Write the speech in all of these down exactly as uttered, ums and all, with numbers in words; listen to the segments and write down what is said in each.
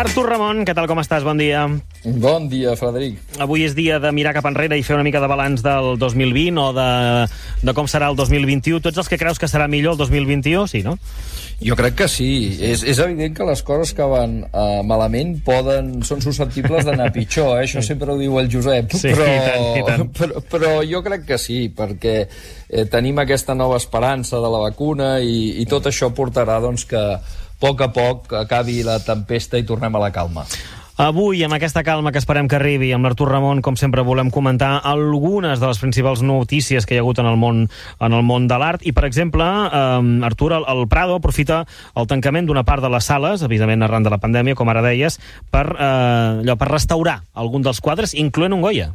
Artur Ramon, què tal, com estàs? Bon dia. Bon dia, Frederic. Avui és dia de mirar cap enrere i fer una mica de balanç del dos mil vint o de, de com serà el dos mil vint-i-u. Tu ets els que creus que serà millor el dos mil vint-i-u, sí, no? Jo crec que sí. És, és evident que les coses que van uh, malament poden, són susceptibles d'anar pitjor, eh? Això sempre ho diu el Josep. Sí, però, i tant, i tant. Però, però jo crec que sí, perquè eh, tenim aquesta nova esperança de la vacuna i, i tot això portarà doncs, que a poc a poc acabi la tempesta i tornem a la calma. Avui, amb aquesta calma que esperem que arribi, amb l'Artur Ramon, com sempre, volem comentar algunes de les principals notícies que hi ha hagut en el món, en el món de l'art. I, per exemple, eh, Artur, el, el Prado aprofita el tancament d'una part de les sales, evidentment arran de la pandèmia, com ara deies, per, eh, allò, per restaurar algun dels quadres, incloent un Goya.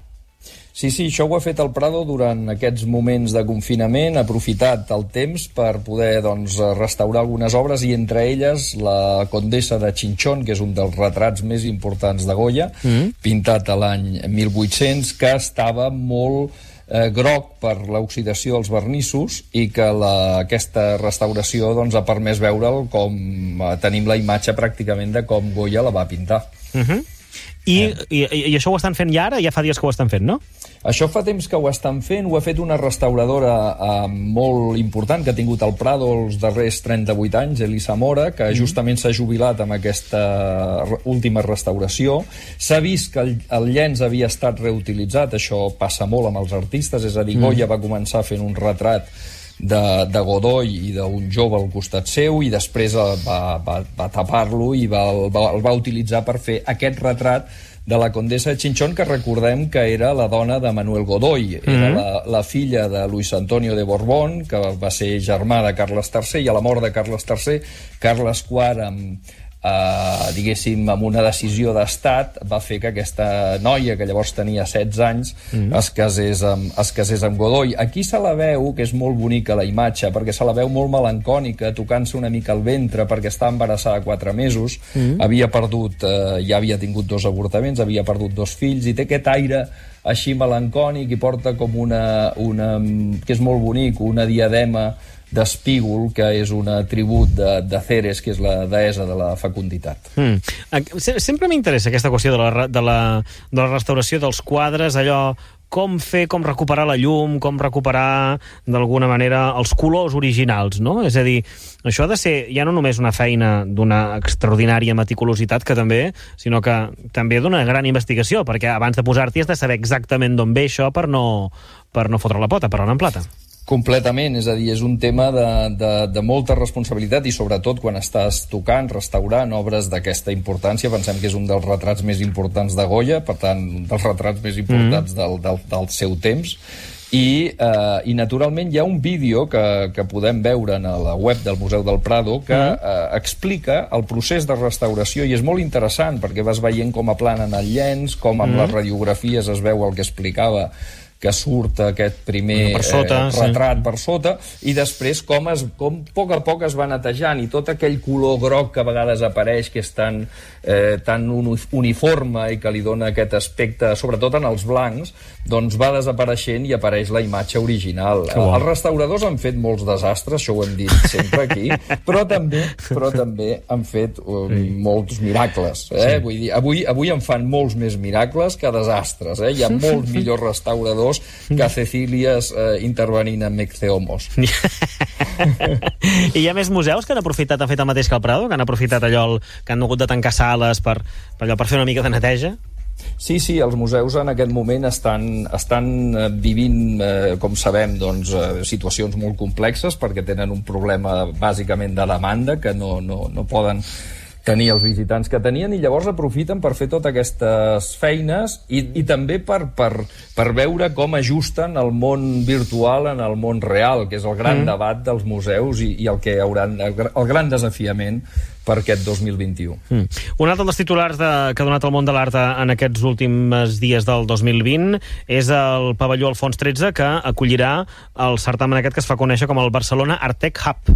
Sí, sí, això ho ha fet el Prado durant aquests moments de confinament, ha aprofitat el temps per poder doncs, restaurar algunes obres i entre elles la Condessa de Chinchón, que és un dels retrats més importants de Goya, mm. pintat a l'any mil vuit-cents, que estava molt eh, groc per l'oxidació dels vernissos i que la, aquesta restauració doncs, ha permès veure'l com eh, tenim la imatge pràcticament de com Goya la va pintar. Mhm. I, eh. i, I això ho estan fent ja ara? Ja fa dies que ho estan fent, no? Això fa temps que ho estan fent, ho ha fet una restauradora eh, molt important que ha tingut el Prado els darrers trenta-vuit anys, Elisa Mora, que justament s'ha jubilat amb aquesta última restauració. S'ha vist que el, el llenç havia estat reutilitzat, això passa molt amb els artistes, és a dir, Goya va començar fent un retrat de, de Godoy i d'un jove al costat seu i després va, va, va tapar-lo i va, el, va, el va utilitzar per fer aquest retrat de la Condessa de Chinchón, que recordem que era la dona de Manuel Godoy, era mm-hmm. la, la filla de Luis Antonio de Borbón, que va ser germà de Carles tercer, i a la mort de Carles tercer, Carles quart, amb, eh, diguéssim, amb una decisió d'estat, va fer que aquesta noia, que llavors tenia setze anys, mm-hmm. es, casés amb, es casés amb Godoy. Aquí se la veu, que és molt bonica la imatge, perquè se la veu molt melancònica, tocant-se una mica el ventre, perquè està embarassada quatre mesos, mm-hmm. havia perdut, eh, ja havia tingut dos avortaments, havia perdut dos fills, i té aquest aire així melancònic i porta com una, una que és molt bonic, una diadema d'espígol, que és un atribut de, de Ceres, que és la deessa de la fecunditat. Mm. Sempre m'interessa aquesta qüestió de la, de, la, de la restauració dels quadres, allò, com fer, com recuperar la llum, com recuperar, d'alguna manera, els colors originals, no? És a dir, això ha de ser ja no només una feina d'una extraordinària meticulositat, que també, sinó que també d'una gran investigació, perquè abans de posar-t'hi has de saber exactament d'on ve això per no, per no fotre la pota, per anar en plata. Completament, és a dir, és un tema de, de, de molta responsabilitat i sobretot quan estàs tocant, restaurant obres d'aquesta importància. Pensem que és un dels retrats més importants de Goya, per tant, un dels retrats més importants mm. del, del, del seu temps. I, eh, i naturalment hi ha un vídeo que, que podem veure a la web del Museu del Prado que mm. eh, explica el procés de restauració i és molt interessant perquè vas veient com aplanen el llenç, com amb mm. les radiografies es veu el que explicava, que surt aquest primer per sota, eh, retrat sí. per sota, i després com, es, com a poc a poc es va netejant, i tot aquell color groc que a vegades apareix, que és tan, eh, tan uniforme i que li dona aquest aspecte, sobretot en els blancs, doncs va desapareixent i apareix la imatge original. Bon. Els restauradors han fet molts desastres, això ho hem dit sempre aquí, però també però també han fet um, sí. molts miracles. Eh? Sí. Vull dir, avui, avui en fan molts més miracles que desastres. Eh? Hi ha molts millors restauradors que Cecílies eh, intervenint en Mecceomos. I hi ha més museus que han aprofitat, han fet el mateix que el Prado, que han aprofitat allò, el, que han hagut de tancar sales per, per, allò, per fer una mica de neteja? Sí, sí, els museus en aquest moment estan, estan vivint, eh, com sabem, doncs, eh, situacions molt complexes perquè tenen un problema bàsicament de demanda que no, no, no poden tenir els visitants que tenien, i llavors aprofiten per fer totes aquestes feines i, i també per, per, per veure com ajusten el món virtual en el món real, que és el gran mm. debat dels museus i, i el que hauran, el, el gran desafiament per aquest dos mil vint-i-u. Mm. Un altre dels titulars de, que ha donat el món de l'art en aquests últims dies del dos mil vint és el pavelló Alfons tretze, que acollirà el certamen aquest que es fa conèixer com el Barcelona Artec Hub.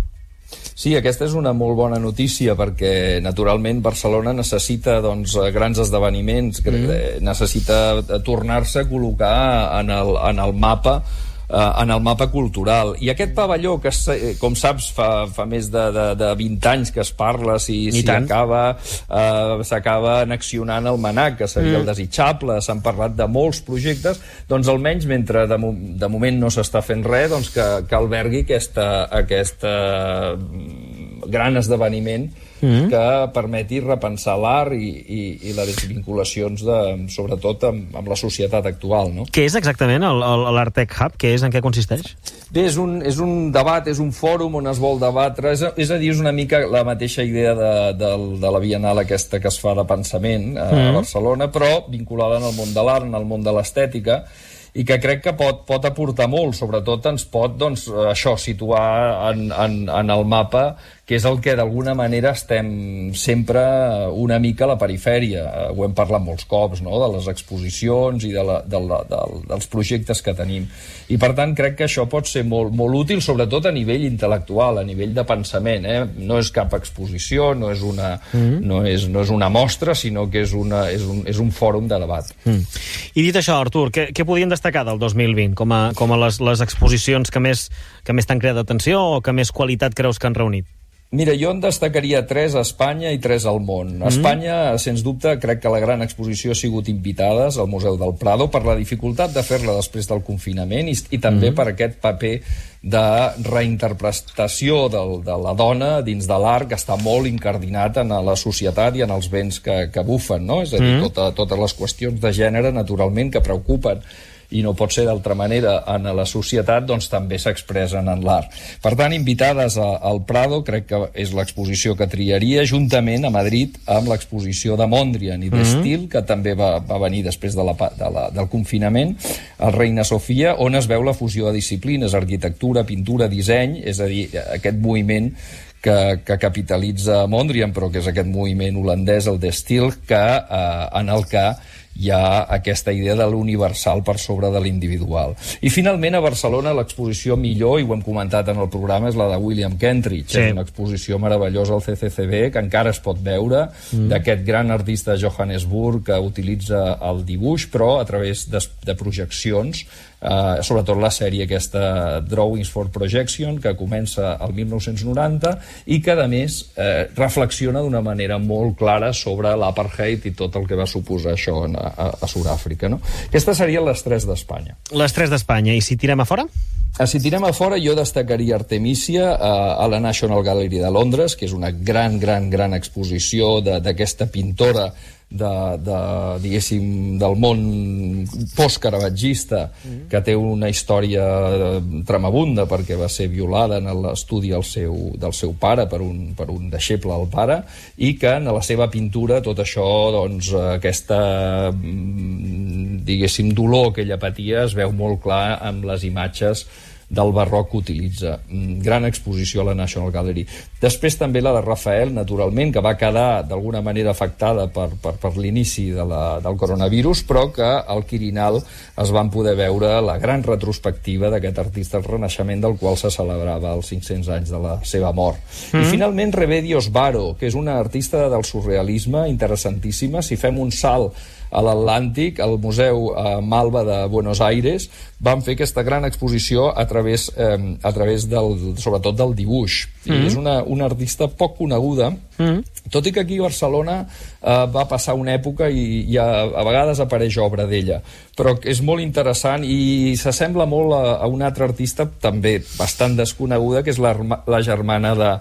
Sí, aquesta és una molt bona notícia perquè, naturalment, Barcelona necessita doncs, grans esdeveniments, mm. necessita tornar-se a col·locar en el, en el mapa en el mapa cultural. I aquest pavelló, que com saps fa, fa més de, de, de vint anys que es parla si, si acaba eh, s'acaba annexionant el MNAC, que seria mm. el desitjable, s'han parlat de molts projectes, doncs almenys mentre de, de moment no s'està fent res, doncs que, que albergui aquesta, aquesta gran esdeveniment mm. que permeti repensar l'art i, i, i les vinculacions de, sobretot amb, amb la societat actual, no? Què és exactament l'Artec Hub? Què és, en què consisteix? Bé, és un, és un debat, és un fòrum on es vol debatre, és, és a dir, és una mica la mateixa idea de, de, de la Bienal aquesta que es fa de pensament a, mm. a Barcelona, però vinculada en el món de l'art, en el món de l'estètica, i que crec que pot, pot aportar molt, sobretot ens pot, doncs, això, situar en, en, en el mapa, que és el que d'alguna manera estem sempre una mica a la perifèria. Ho hem parlat molts cops, no?, de les exposicions i de la, de la, de, dels projectes que tenim. I, per tant, crec que això pot ser molt, molt útil, sobretot a nivell intel·lectual, a nivell de pensament. Eh? No és cap exposició, no és una, mm. no és, no és una mostra, sinó que és, una, és, un, és un fòrum de debat. Mm. I dit això, Artur, què, què podien destacar del dos mil vint com a, com a les, les exposicions que més, que més t'han creat atenció o que més qualitat creus que han reunit? Mira, jo en destacaria tres a Espanya i tres al món. A Espanya, mm. sens dubte, crec que la gran exposició ha sigut Invitades al Museu del Prado per la dificultat de fer-la després del confinament i, i també mm. per aquest paper de reinterpretació del, de la dona dins de l'art que està molt incardinat en la societat i en els béns que, que bufen, no? És a dir, mm. tota, totes les qüestions de gènere, naturalment, que preocupen i no pot ser d'altra manera en la societat, doncs també s'expressen en l'art. Per tant, Invitades a, al Prado crec que és l'exposició que triaria, juntament a Madrid amb l'exposició de Mondrian i d'Estil, mm-hmm. que també va, va venir després de la, de la, del confinament, al Reina Sofia, on es veu la fusió de disciplines, arquitectura, pintura, disseny, és a dir, aquest moviment que, que capitalitza Mondrian, però que és aquest moviment holandès, el d'Estil, que, eh, en el que hi ha aquesta idea de l'universal per sobre de l'individual. I finalment a Barcelona l'exposició millor, i ho hem comentat en el programa, és la de William Kentridge. Sí. És una exposició meravellosa al C C C B que encara es pot veure, mm. d'aquest gran artista de Johannesburg que utilitza el dibuix, però a través de, de projeccions, eh, sobretot la sèrie aquesta Drawings for Projection, que comença al mil nou-cents noranta i que a més eh, reflexiona d'una manera molt clara sobre l'apartheid i tot el que va suposar això en a, a Sud-àfrica, no? Aquestes serien les tres d'Espanya. Les tres d'Espanya. I si tirem a fora? Si tirem a fora, jo destacaria Artemisia a, a la National Gallery de Londres, que és una gran, gran, gran exposició d'aquesta pintora de, de, diguéssim, del món post-caravagista, mm. que té una història tremabunda perquè va ser violada en l'estudi del seu, del seu pare per un, per un deixeble del pare, i que en la seva pintura tot això, doncs, aquesta, diguéssim, dolor que ella patia es veu molt clar amb les imatges del barroc que utilitza. Gran exposició a la National Gallery. Després també la de Rafael, naturalment, que va quedar d'alguna manera afectada per, per, per l'inici de la, del coronavirus, però que al Quirinal es van poder veure la gran retrospectiva d'aquest artista del Renaixement, del qual se celebrava els cinc-cents anys de la seva mort. Mm. I finalment Remedios Varo, que és una artista del surrealisme interessantíssima. Si fem un salt a l'Atlàntic, al Museu eh, Malva de Buenos Aires, van fer aquesta gran exposició a través, eh, a través del, sobretot del dibuix. Mm. I és una, una artista poc coneguda, mm. tot i que aquí a Barcelona eh, va passar una època i, i a, a vegades apareix obra d'ella, però és molt interessant i s'assembla molt a, a una altra artista també bastant desconeguda, que és la, la germana de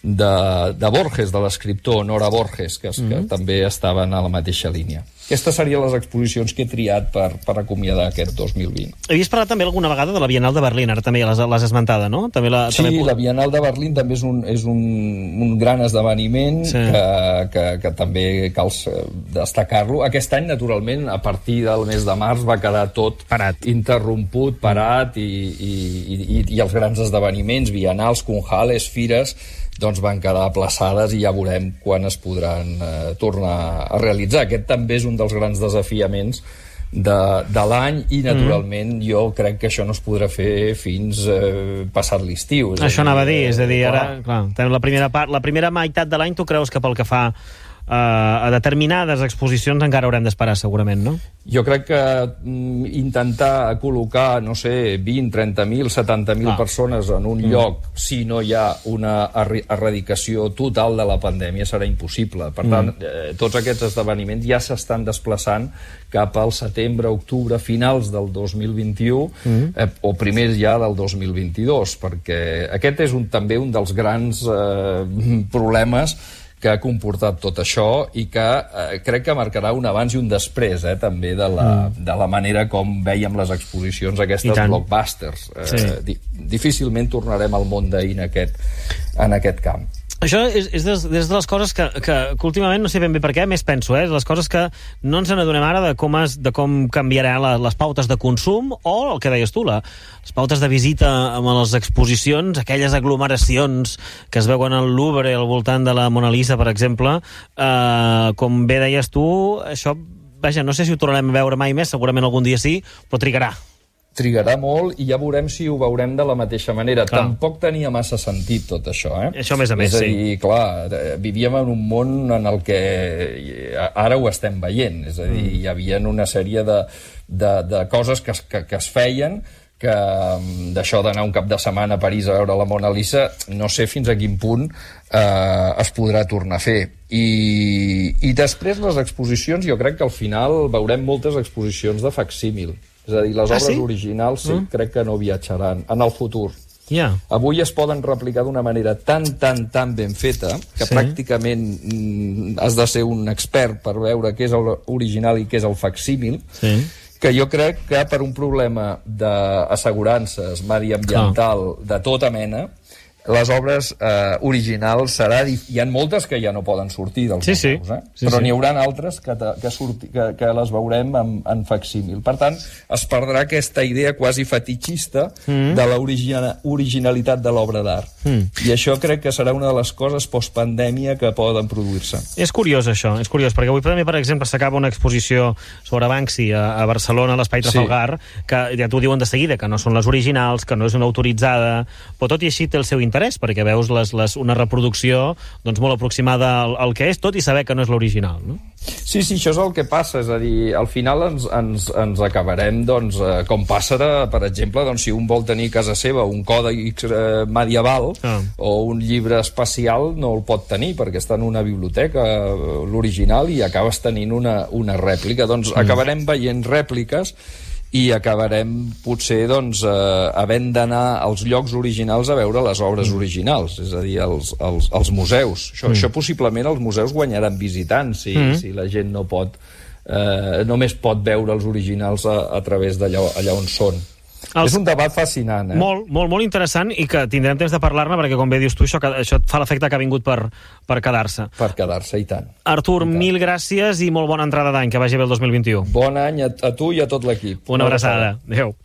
De, de Borges, de l'escriptor Nora Borges, que, mm-hmm. que també estaven a la mateixa línia. Aquestes serien les exposicions que he triat per, per acomiadar aquest dos mil vint. Havies parlat també alguna vegada de la Bienal de Berlín, ara també l'has esmentada, no? També la, sí, també... la Bienal de Berlín també és un, és un, un gran esdeveniment, sí. que, que, que també cal destacar-lo. Aquest any, naturalment, a partir del mes de març va quedar tot parat, interromput, parat, i, i, i, i els grans esdeveniments, bienals, conjales, fires, doncs van quedar aplaçades i ja veurem quan es podran eh, tornar a realitzar. Aquest també és un dels grans desafiaments de, de l'any i, naturalment, mm. jo crec que això no es podrà fer fins eh, passat l'estiu. Això anava a dir, és a dir, ara, clar, la primera part, la primera meitat de l'any, tu creus que pel que fa a determinades exposicions encara haurem d'esperar, segurament, no? Jo crec que mm, intentar col·locar, no sé, vint, trenta mil, setanta mil ah. persones en un mm. lloc, si no hi ha una erradicació total de la pandèmia, serà impossible. Per tant, mm. eh, tots aquests esdeveniments ja s'estan desplaçant cap al setembre, octubre, finals del dos mil vint-i-u, mm. eh, o primers ja del dos mil vint-i-dos, perquè aquest és un, també un dels grans eh, problemes que ha comportat tot això i que eh, crec que marcarà un abans i un després, eh, també, de la, mm. de la manera com veiem les exposicions aquestes blockbusters. Eh, sí. di difícilment tornarem al món d'ahir en aquest, en aquest camp. Això és, és des, des de les coses que, que, que últimament, no sé ben bé per què, més penso, eh? Les coses que no ens n'adonem ara de com, es, de com canviaran la, les pautes de consum o el que deies tu, la, les pautes de visita amb les exposicions, aquelles aglomeracions que es veuen al Louvre al voltant de la Mona Lisa, per exemple, eh, com bé deies tu, això, vaja, no sé si ho tornarem a veure mai més, segurament algun dia sí, però trigarà. Trigarà molt i ja veurem si ho veurem de la mateixa manera. Clar. Tampoc tenia massa sentit tot això, eh? Això més a més, sí. És a dir, clar, vivíem en un món en el que ara ho estem veient. És a dir, mm. hi havia una sèrie de, de, de coses que, que, que es feien que d'això d'anar un cap de setmana a París a veure la Mona Lisa, no sé fins a quin punt eh, es podrà tornar a fer. I, i després les exposicions, jo crec que al final veurem moltes exposicions de facsímil. És a dir, les ah, obres sí? originals sí, mm. crec que no viatjaran en el futur. Yeah. Avui es poden replicar d'una manera tan, tan, tan ben feta que sí. pràcticament mm, has de ser un expert per veure què és l'original i què és el facsímil, sí. que jo crec que per un problema d'assegurances mediambiental de tota mena, les obres eh, originals serà... Hi ha moltes que ja no poden sortir dels sí, museus, eh? sí, però sí. n'hi haurà altres que, que, surti, que, que les veurem en, en facsímil. Per tant, es perdrà aquesta idea quasi fetitxista mm. de l'originalitat de l'obra d'art. Mm. I això crec que serà una de les coses postpandèmia que poden produir-se. És curiós, això, és curiós, perquè avui també, per exemple, s'acaba una exposició sobre Banksy a, a Barcelona, a l'Espai Trafalgar, sí. que ja t'ho diuen de seguida, que no són les originals, que no és una autoritzada, però tot i així té el seu interès, perquè veus les, les, una reproducció doncs, molt aproximada al, al que és, tot i saber que no és l'original, no? Sí, sí, això és el que passa, és a dir, al final ens, ens, ens acabarem, doncs, eh, com passa, per exemple, doncs, si un vol tenir a casa seva un còdex eh, medieval ah. o un llibre espacial, no el pot tenir, perquè està en una biblioteca, eh, l'original, i acabes tenint una, una rèplica. Doncs mm. acabarem veient rèpliques i acabarem, potser, doncs, eh, havent d'anar als llocs originals a veure les obres mm. originals, és a dir, als, als, als museus. Això, mm. això possiblement els museus guanyaran visitants, si, mm. si la gent no pot, eh, només pot veure els originals a, a través d'allà allà on són. Els... És un debat fascinant, eh? Molt, molt, molt interessant, i que tindrem temps de parlar-ne, perquè, com bé dius tu, això, això fa l'efecte que ha vingut per, per quedar-se. Per quedar-se, i tant. Artur, I tant. Mil gràcies i molt bona entrada d'any, que vagi bé el dos mil vint-i-u. Bon any a, a tu i a tot l'equip. Una, Una abraçada. Adéu.